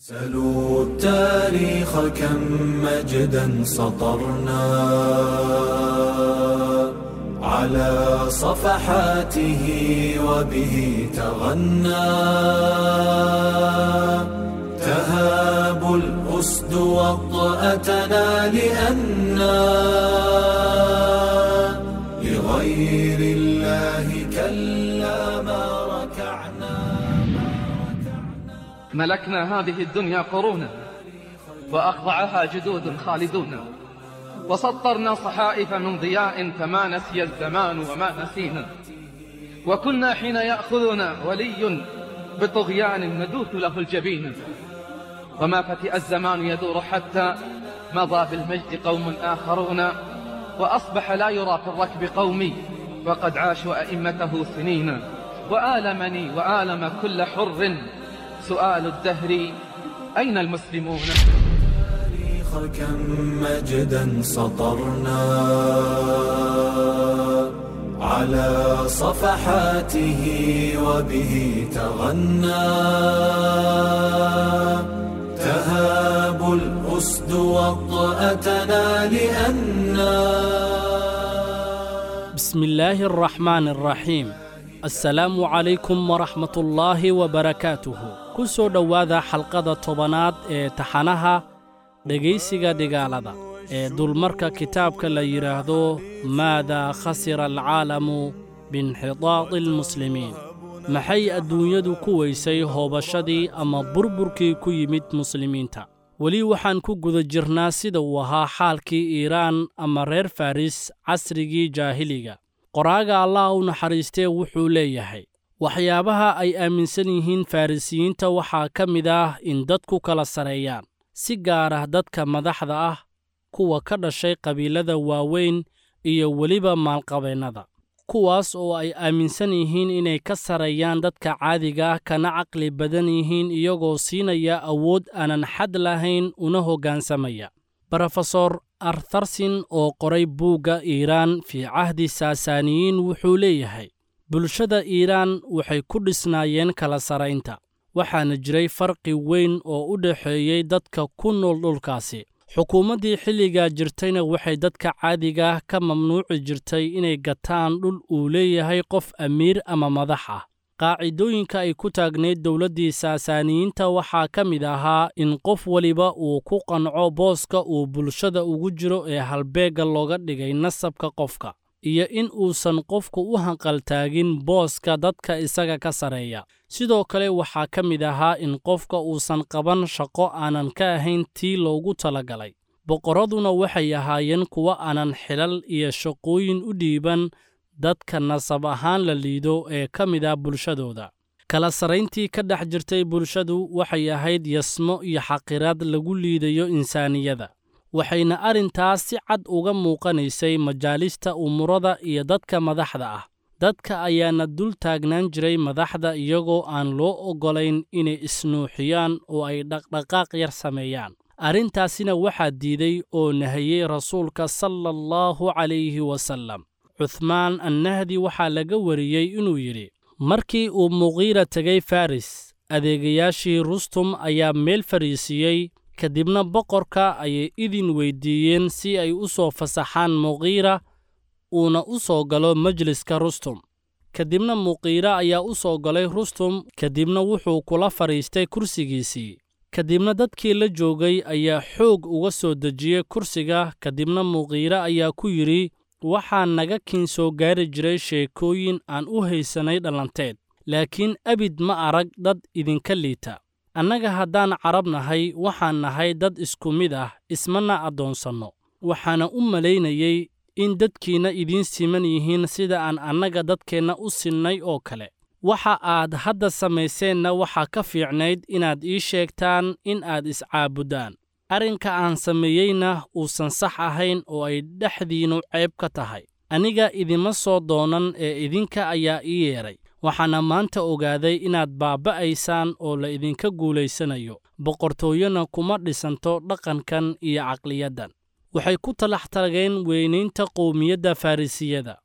سلوا التاريخ كم مجدا سطرنا على صفحاته وبه تغنى تهاب الأسد وطأتنا لأنا لغير الله كلا ما ركعنا. ملكنا هذه الدنيا قرونا وأخضعها جدود خالدون، وسطرنا صحائف من ضياء فما نسي الزمان وما نسينا، وكنا حين يأخذنا ولي بطغيان ندوث له الجبين، وما فتئ الزمان يدور حتى مضى بالمجد قوم آخرون، وأصبح لا يرى في الركب قومي وقد عاشوا أئمته سنين. وآلمني وآلم كل حر سؤال الدهر أين المسلمون؟ كم مجدا سطرنا على صفحاته وبه تغنى تهاب الأسد وطأتنا لأنا. بسم الله الرحمن الرحيم. Assalaamu calaykum waraxmatullaahi wabarakaatuhu. Ku soo dhowaada xalqada 10aad ee taxanaha dhegaysiga dhigaalada ee dulmarka kitaabka la yidhaahdo Maadaa khasira alcaalamu biinxitaadi almuslimiin, maxay adduunyadu ku weysay hoobashadii ama burburkii ku yimid muslimiinta. Weli waxaan ku guda jirnaa sida uu ahaa xaalkii Iiraan ama reer Faris casrigii jaahiliga. Qoraaga Allah u naxariistee wuxuu leeyahay, waxyaabaha ay aaminsan yihiin Farrisiyiinta waxaa ka mid ah in dadku kala sareeyaan, si gaar ah dadka madaxda ah, kuwa ka dhashay qabiilada waaweyn iyo weliba maalqabeennada, kuwaas oo ay aaminsan yihiin inay ka sareeyaan dadka caadiga ah kana caqli badan yihiin, iyagoo siinaya awood aanan xad lahayn una hoggaansamaya. Brofesor Artharsin oo qoray buugga Iiraan fii cahdi Saasaaniyiin wuxuu leeyahay, bulshada Iiraan waxay ku dhisnaayeen kala saraynta, waxaana jiray farqi weyn oo u dhexeeyey dadka ku nool dhulkaasi. Xukuumaddii xilligaa jirtayna waxay dadka caadiga ah ka mamnuuci jirtay inay gataan dhul uu leeyahay qof amiir ama madax ah. Qaacidooyinka ay ku taagnayd dowladdii Saasaaniyiinta waxaa ka mid ahaa in qof waliba uu ku qanco booska uu bulshada ugu jiro ee halbeegga looga dhigay nasabka qofka, iyo in uusan qofku u hanqaltaagin booska dadka isaga ka sareeya. Sidoo kale waxaa ka mid ahaa in qofka uusan qaban shaqo aanan ka ahayn tii loogu talagalay. Boqorraduna waxay ahaayeen kuwo aanan xilal iyo shaqooyin u dhiiban dadka nasab ahaan la liido ee ka mid ah bulshadooda. Kala sarayntii ka dhex jirtay bulshadu waxay ahayd yasmo iyo xaqiraad lagu liidayo insaaniyada, waxayna arrintaas si cad uga muuqanaysay majaalista umurada iyo dadka madaxda ah. Dadka ayaana dul taagnaan jiray madaxda iyagoo aan loo oggolayn inay isnuuxiyaan oo ay dhaqdhaqaaq yar sameeyaan. Arrintaasina waxaa diiday oo nahiyey Rasuulka sala allahu calayhi wasallam. Cuthmaan Annahdi waxaa laga wariyey inuu yidhi, markii uu Muqiira tegay Faris, adeegayaashii Rustum ayaa meel fariisiiyey, kadibna boqorka ayay idin weydiiyeen si ay u soo fasaxaan Muqiira uuna u soo galo majliska Rustum. Kadibna Muqiira ayaa u soo galay Rustum, kadibna wuxuu kula fadhiistay kursigiisii. Kadibna dadkii la joogay ayaa xoog uga soo dejiyey kursiga, kadibna Muqiira ayaa ku yidhi, waxaa naga kiin soo gaari jiray sheekooyin aan u haysanay dhallanteed, laakiin abid ma arag dad idinka liita. Annaga haddaan Carab nahay, waxaan nahay dad isku mid ah, ismana addoonsanno. Waxaana u malaynayey in dadkiinna idiin siman yihiin sida aan annaga dadkeenna u sinnay oo kale. Waxa aad hadda samayseenna waxaa ka fiicnayd inaad ii sheegtaan in aad iscaabuddaan. Arrinka aan sameeyeyna uusan sax ahayn oo ay dhexdiinnu ceeb ka tahay. Aniga idima soo doonan ee idinka ayaa ii yeedhay. Waxaana maanta ogaaday inaad baaba'aysaan oo la idinka guulaysanayo. Boqortooyona kuma dhisanto dhaqankan iyo caqliyaddan. Waxay ku talax tageen weynaynta qowmiyadda Farrisiyada,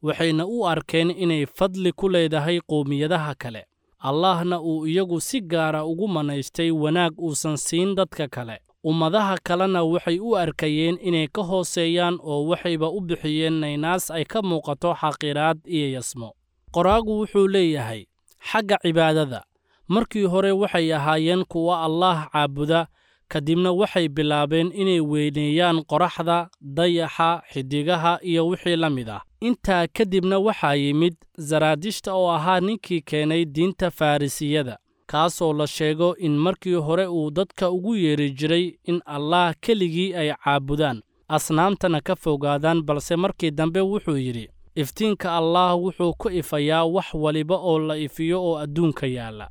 waxayna u arkeen inay fadli ku leedahay qowmiyadaha kale. Allahna uu iyagu si gaara ugu manaystay wanaag uusan siin dadka kale. Ummadaha kalena waxay u arkayeen inay ka hooseeyaan oo waxayba u bixiyeen naynaas ay ka muuqato xaqiraad iyo yasmo. Qoraagu wuxuu leeyahay xagga cibaadada, markii hore waxay ahaayeen kuwa Allaah caabuda, kadibna waxay bilaabeen inay weyneeyaan qoraxda, dayaxa, xiddigaha iyo wixii la mid ah. Intaa kadibna waxaa yimid Zaraadishta oo ahaa ninkii keenay diinta Farrisiyada, kaasoo la sheego in markii hore uu dadka ugu yeeri jiray in Allaah keligii ay caabudaan, asnaamtana ka fogaadaan, balse markii dambe wuxuu yidhi: iftiinka Allaah wuxuu ku ifayaa wax waliba oo la ifiyo oo adduunka yaalla.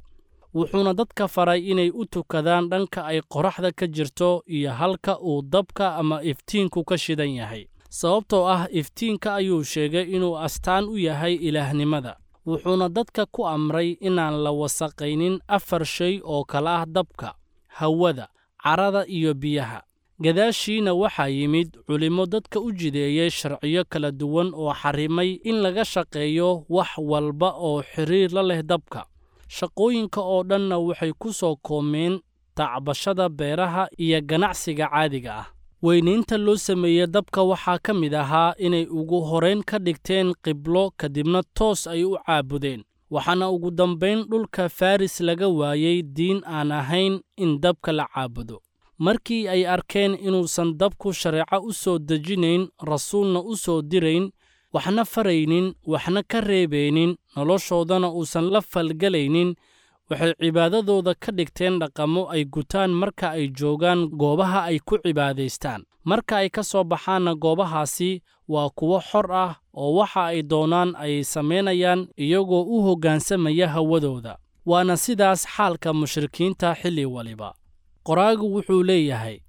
Wuxuuna dadka faray inay u tukadaan dhanka ay qoraxda ka jirto iyo halka uu dabka ama iftiinku ka shidan yahay, sababtoo ah iftiinka ayuu sheegay inuu astaan u yahay ilaahnimada. Wuxuuna dadka ku amray inaan la wasaqaynin afar shay oo kala ah dabka, hawada, carrada iyo biyaha. Gadaashiina waxaa yimid culimmo dadka u jideeyey sharciyo kala duwan oo xarrimay in laga shaqeeyo wax walba oo xiriir la leh dabka. Shaqooyinka oo dhanna waxay ku soo koomeen tacbashada beeraha iyo ganacsiga caadiga ah. Weynaynta loo sameeyey dabka waxaa ka mid ahaa inay ugu horrayn ka dhigteen qiblo, kadibna toos ay u caabudeen. Waxaana ugu dambayn dhulka Faris laga waayey diin aan ahayn in dabka la caabudo. Markii ay arkeen inuusan dabku shareeco u soo dejinayn, rasuulna u soo dirayn, waxna faraynin, waxna ka reebaynin, noloshoodana uusan la falgelaynin, waxay cibaadadooda ka dhigteen dhaqamo ay gutaan marka ay joogaan goobaha ay ku cibaadaystaan. Marka ay ka soo baxaanna goobahaasi waa kuwo xor ah oo waxa ay doonaan ayay samaynayaan iyagoo u hoggaansamaya hawadooda. Waana sidaas xaalka mushrikiinta xilli waliba. Qoraagu wuxuu leeyahay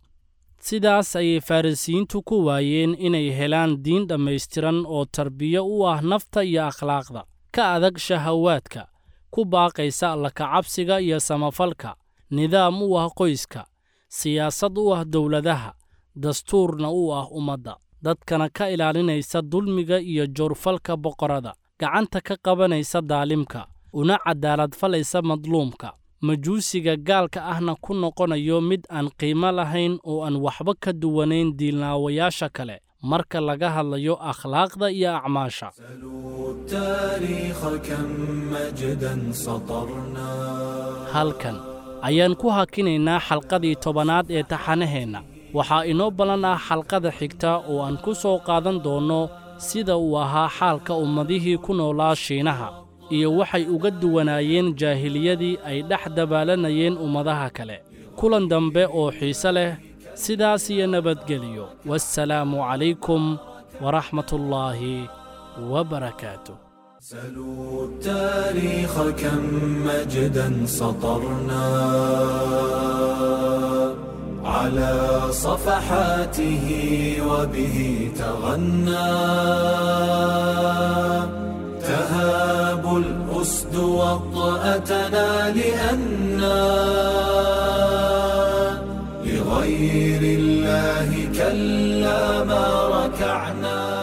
sidaas ayay Farrisiyiintu ku waayeen inay helaan diin dhammaystiran oo tarbiyo u ah nafta iyo akhlaaqda, ka adag shahawaadka, ku baaqaysa alla-ka-cabsiga iyo samafalka, nidaam u ah qoyska, siyaasad u ah dowladaha, dastuurna u ah ummadda, dadkana ka ilaalinaysa dulmiga iyo joorfalka boqorada, gacanta ka qabanaysa daalimka, una cadaalad falaysa madluumka, majuusiga gaalka ahna ku noqonayo mid aan qiimo lahayn oo aan waxba ka duwanayn diilnaawayaasha kale marka laga hadlayo akhlaaqda iyo acmaasha. Halkan ayaan ku hakinaynaa xalqadii 10aad ee taxanaheenna. Waxaa inoo ballan ah xalqada xigta oo aan ku soo qaadan doonno sida uu ahaa xaalka ummadihii ku noolaa Shiinaha iyo waxay uga duwanaayeen jaahiliyadii ay dhex dabaalanayeen ummadaha kale. Kulan dambe oo xiise leh, sidaas iyo nabadgeliyo. Wassalaamu calaykum waraxmatullaahi wabarakaatu. سلوا التاريخ كم مجدا سطرنا على صفحاته وبه تغنى تهاب الأسد وطأتنا لأنا لغير الله كلا ما ركعنا.